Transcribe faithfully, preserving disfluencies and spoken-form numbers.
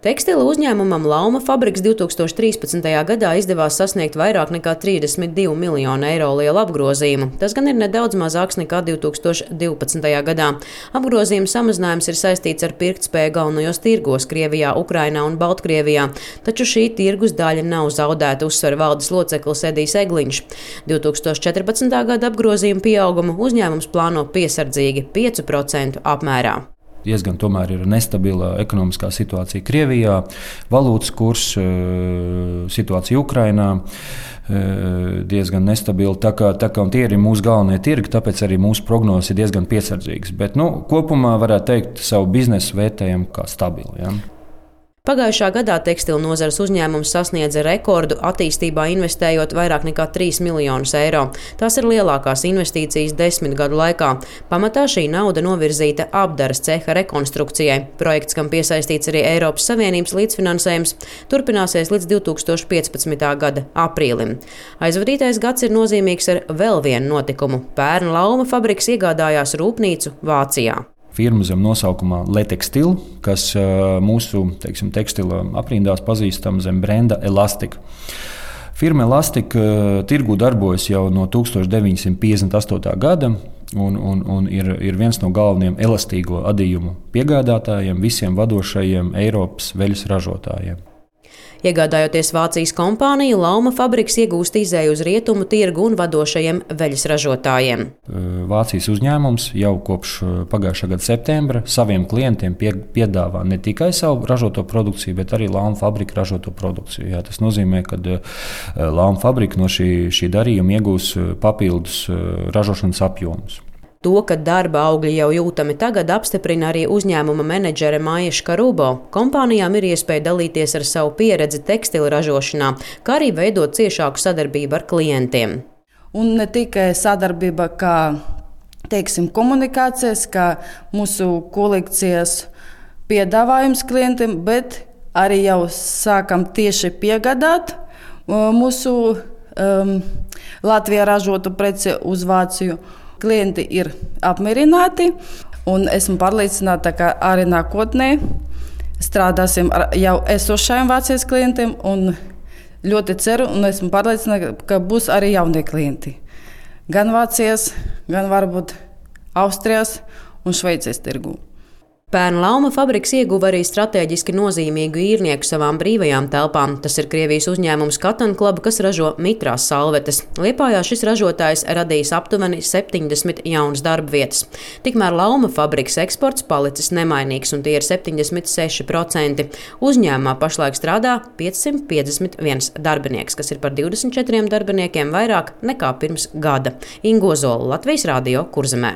Tekstila uzņēmumam Lauma fabriks divtūkstoš trīspadsmitajā gadā izdevās sasniegt vairāk nekā trīsdesmit divu miljonu eiro lielu apgrozījumu. Tas gan ir nedaudz mazāks nekā divtūkstoš divpadsmitajā gadā. Apgrozījuma samazinājums ir saistīts ar pirktspēju galvenajos tirgos Krievijā, Ukrainā un Baltkrievijā, taču šī tirgus daļa nav zaudēta, uzsver valdes loceklis Edijs Egliņš. divtūkstoš četrpadsmitā gada apgrozījuma pieaugumu uzņēmums plāno piesardzīgi piecu procentu apmērā. Diezgan tomēr ir nestabila ekonomiskā situācija Krievijā, valūtas kurs, situācija Ukrainā diezgan nestabila. Tā kā, tā kā tie ir mūsu galvenie tirgi, tāpēc arī mūsu prognozes ir diezgan piesardzīgas. Bet nu, kopumā varētu teikt, savu biznesu vērtējumu kā stabilu. Ja? Pagājušā gadā tekstilu nozares uzņēmums sasniedza rekordu attīstībā, investējot vairāk nekā trīs miljonus eiro. Tās ir lielākās investīcijas desmit gadu laikā. Pamatā šī nauda novirzīta apdares ceha rekonstrukcijai. Projekts, kam piesaistīts arī Eiropas Savienības līdzfinansējums, turpināsies līdz divtūkstoš piecpadsmitā gada aprīlim. Aizvadītais gads ir nozīmīgs ar vēl vienu notikumu. Pērn Lauma fabriks iegādājās rūpnīcu Vācijā. Firma zem nosaukumā Letextil, kas mūsu teiksim, tekstila aprindās pazīstama zem brenda Elastika. Firma Elastika tirgū darbojas jau no tūkstoš deviņsimt piecdesmit astotā gada un, un, un ir, ir viens no galvenajiem elastīgo adījumu piegādātājiem visiem vadošajiem Eiropas veļas ražotājiem. Iegādājoties Vācijas kompāniju, Lauma fabriks iegūst izēju uz rietumu tirgu un vadošajiem veļas ražotājiem. Vācijas uzņēmums jau kopš pagājušā gada septembra saviem klientiem pie, piedāvā ne tikai savu ražoto produkciju, bet arī Lauma fabrika ražoto produkciju. Jā, tas nozīmē, ka Lauma fabrika no šī, šī darījuma iegūs papildus ražošanas apjomus. To, ka darba augļi jau jūtami tagad, apstiprina arī uzņēmuma menedžere Maija Škarubo. Kompānijām ir iespēja dalīties ar savu pieredzi tekstila ražošanā, kā arī veidot ciešāku sadarbību ar klientiem. Un ne tikai sadarbība, kā teiksim, komunikācijas, kā mūsu kolekcijas piedāvājums klientiem, bet arī jau sākam tieši piegādāt mūsu um, Latvijā ražotu preci uz Vāciju. Klienti ir apmierināti, un esmu pārliecināta, ka arī nākotnē strādāsim ar jau esošajiem Vācijas klientiem. Ļoti ceru, un esmu pārliecināta, ka būs arī jaunie klienti. Gan Vācijas, gan varbūt Austrijas un Šveices tirgū. Pērn Lauma fabriks ieguva arī strateģiski nozīmīgu īrnieku savām brīvajām telpām. Tas ir Krievijas uzņēmums Cotton Club, kas ražo mitrās salvetes. Liepājā šis ražotājs radījis aptuveni septiņdesmit jaunas darba vietas. Tikmēr Lauma fabriks eksports palicis nemainīgs, un tie ir septiņdesmit seši procenti. Uzņēmumā pašlaik strādā piecsimt piecdesmit viens darbinieks, kas ir par divdesmit četriem darbiniekiem vairāk nekā pirms gada. Ingo Zola, Latvijas Radio, Kurzemē.